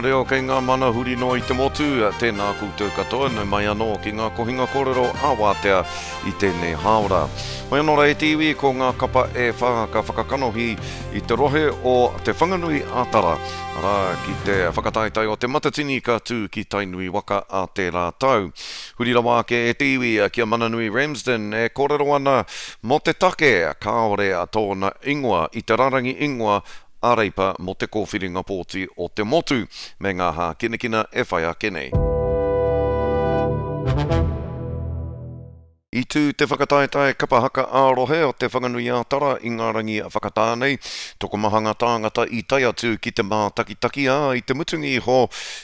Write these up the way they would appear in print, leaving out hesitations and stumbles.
reo kei ngā mana huri noa i te motu, tēnā koutou katoa, nau mai anō ki ngā kohinga kōrero ā-wātea i tēnei hāora. Hoi anō rā e te iwi, ko ngā kapa e whā ka whakakanohi i te rohe o Te Whanganui a Tara, arā, ki te whakataetae o Te Matatini ka tū ki Tainui waka ā tērā tau. Huri rawa ake e te iwi ki a Mananui Ramsden e kōrero ana mō te take kāore tōna ingoa i te rarangi ingoa a Reipa mō te kōwhiringa pōti o te motu, me ngā hākinakina e whai ake nei. I tū te whakataetae kapa haka ā-rohe o Te Whanganui-ā-Tara i ngā rangi whakatā nei. Tokomaha ngā tāngata i tae atu ki te mātakitaki, ā, i te mutunga iho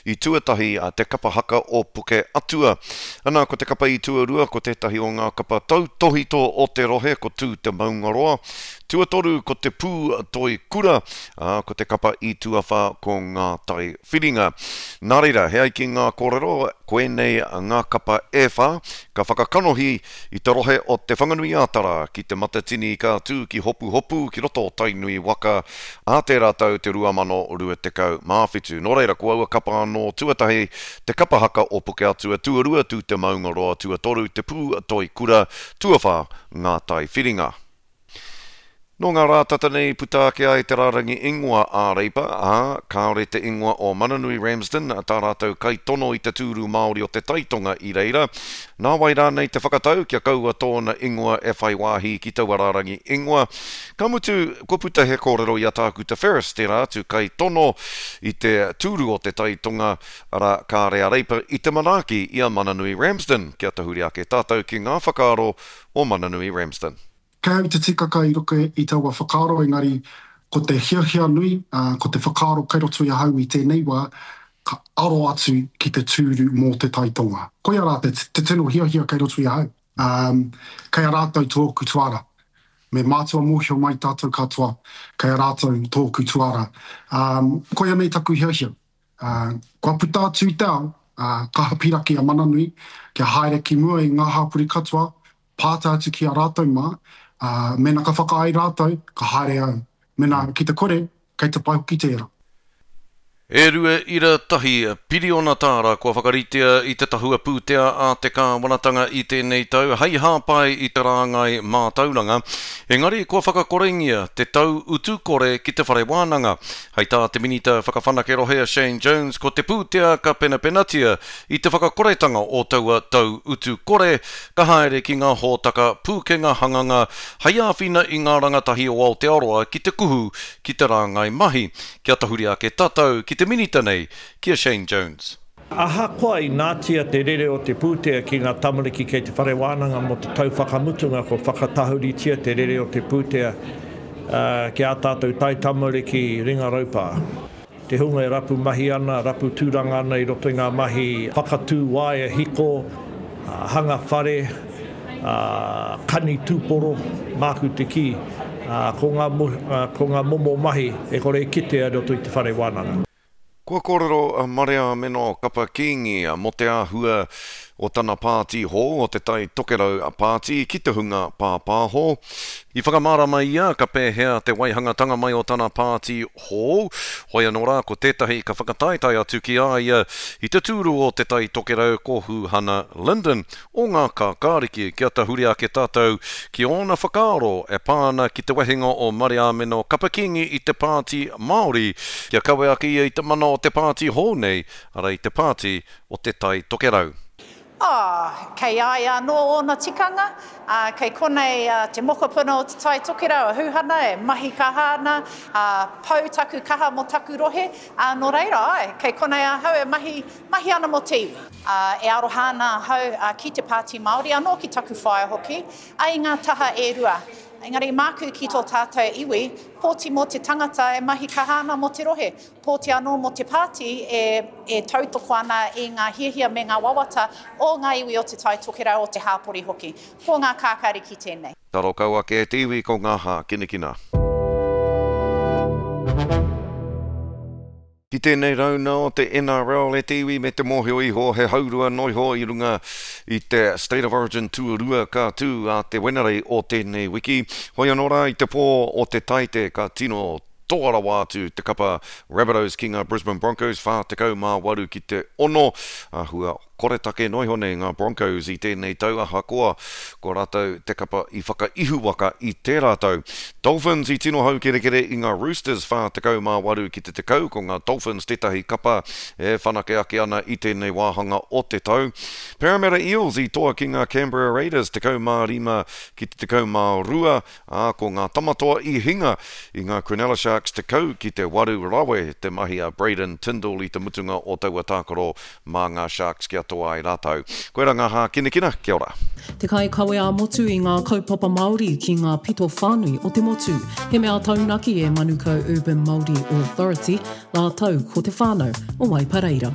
i tuatahi te kapa haka o Puke Atua. Ana, ko te kapa i tuarua ko tētahi o ngā kapa tautōhito o te rohe ko Tū Te Maungaroa. Tuatoru ko Te Pū Toi Kura, ā, ko te kapa i tuawhā ko Ngā Tai Whiringa. Nā reira, he ai ki ngā kōrero, koinei ngā kapa e whā ka whakakanohi i te rohe o Te Whanganui-ā-Tara ki Te Matatini ka tū ki Hopuhopu ki roto o Tainui waka ā tērā tau te 2027. Nō reira, ko aua kapa anō, tuatahi, te kapa haka o Pukeatua, tuarua, Tū Te Maungaroa, tuatoru, Te Pū Toi Kura, tuawhā, Ngā Tai Whiringa. Nō ngā rā tata nei puta ake ai te rārangi ingoa a Reipa, ā, kāore te ingoa o Mananui Ramsden, tā rātou kaitono i te tūru Māori o te Tai Tonga i reira. Nā wai rānei te whakatau kia kaua tōna ingoa e whai wāhi ki taua rārangi ingoa? Ka mutu, kua puta he kōrero i a Tākuta Ferris, tērā atu kaitono i te tūru o te Tai Tonga, arā, kāre a Reipa i te manaaki i a Mananui Ramsden. Kia tahuri ake tātou ki ngā whakaaro o Mananui Ramsden. Kei au te tikaka i roto i taua whakaaro engari ko te hiahia nui, ko te whakaaro kei roto i ahau i tēnei wā, ka aro atu ki te tūru mō te Tai Tonga. Koia rā te tino hiahia kei roto i ahau. Kei a rātou tōku tuara. Me mātua mōhio mai tātou katoa, kei a rātou tōku tuara. Koia nei taku hiahia. Kua puta atu i te ao, kaha piraki a Mananui kia haere ki mua i ngā hapori katoa pātai atu ki a rātou mā, ā, mēnā ka whakaae rātou, ka haere au. Mēnā ki te kore, kei te pai hoki tērā. E 2.1 piriona tāra kua whakaritea i te tahua pūtea a te kāwanatanga i tēnei tau hei hāpai i te rāngai mātauranga, engari kua whakakorengia te tau utu kore ki te whare wānanga. Hei tā te Minita Whakawhanake Rohe a Shane Jones ko te pūtea ka penapenatia I te whakakoretanga o taua tau utu kore, ka haere ki ngā hōtaka pūkenga hanganga hei āwhina i ngā rangatahi o Aotearoa ki te kuhu ki te rāngai mahi. Kia tahuri ake tātou ki te Minita nei, ki a Shane Jones. Ahakoa i nātia te rere o te pūtea ki ngā tamariki kei te whare wānanga mō te tau whakamutunga kua whakatahuritia te rere o te pūtea ki ā tātou taitamariki ringa raupā. Te hunga e rapu mahi ana, rapu tūranga ana i roto i ngā mahi whakatū waea hiko, hanga whare, kani tūporo, māku te kī, ko ngā, ko ngā momo mahi e kore e kitea i roto i te whare wānanga. Kua kōrero a Mareameno Kapa Kingi mō te āhua o tana pāti hou, o Te Tai Tokerau Pāti, ki te hunga pāpāho. I whakamārama ia ka pēhea te waihangatanga mai o tana pāti hou, hoi anō rā ko tētahi ka whakataetae atu ki a ia i te tūru o Te Tai Tokerau ko Hūhana Lyndon o Ngā Kākāriki kia tahuri ake tātou ki ōna whakaaro e pā ana ki te wehenga o Mariāmeno Kapa-Kingi i te Pāti Māori kia kawe ake ia i te mana o te pāti hou nei, arā i te Pāti o Te Tai Tokerau. Ā, kei a ia anō ōna tikanga, ā, kei konei te mokopuna o Te Tai Tokerau, a Hūhana, e mahi kaha ana, ā, pau taku kaha mō taku rohe, ā, nō reira, āe, kei konei ahau e mahi, mahi ana mō te iwi. Ā, e aroha ana ahau ki te Pāti Māori, anō ki taku whaea hoki, ā, i ngā taha e rua. Engari māku ki tō tātou iwi, pōti mō te tangata e mahi kaha ana mō te rohe. Pōti anō mō te pāti e tautoko ana i ngā hiahia me ngā wawata o ngā iwi o Te Tai Tokerau, o te hāpori hoki. Ko ngā kākāriki tēnei. Taro kau ake e te iwi ko ngā hākinakina. Ki tēnei rauna o te NRL e te iwi me te mōhio iho he haurua noiho i runga i te State of Origin tuarua ka tū a te Wenerei o tēnei wiki. Hoi anō rā i te pō o te Taite ka tino. Toa rawa atu te kapa Rabbitohs ki ngā Brisbane Broncos 48 ki te 6. Āhua koretake noa iho nei ngā Broncos i tēnei tau ahakoa ko rātou te kapa i whakaihuwaka i tērā tau. Dolphins i tino haukerekere i ngā Roosters 48 ki te 10, ko ngā Dolphins tētahi kapa e whanake ake ana i tēnei wāhanga o te tau. Parramatta Eels i toa ki ngā Canberra Raiders 15 ki te 12, ā, ko ngā Tamatoa i hinga i ngā Cronulla Sharks 10 ki te 8 rawe te mahi a Braydon Tindall i te mutunga o taua tākaro mā ngā Sharks kia toa ai rātou. Koirā ngā hākinakina, kia ora. Te kaikawe ā-motu i ngā kaupapa Māori ki ngā pito whānui o te motu. He mea taunaki e Manukau Urban Māori Authority rātou ko te whānau o Waipareira.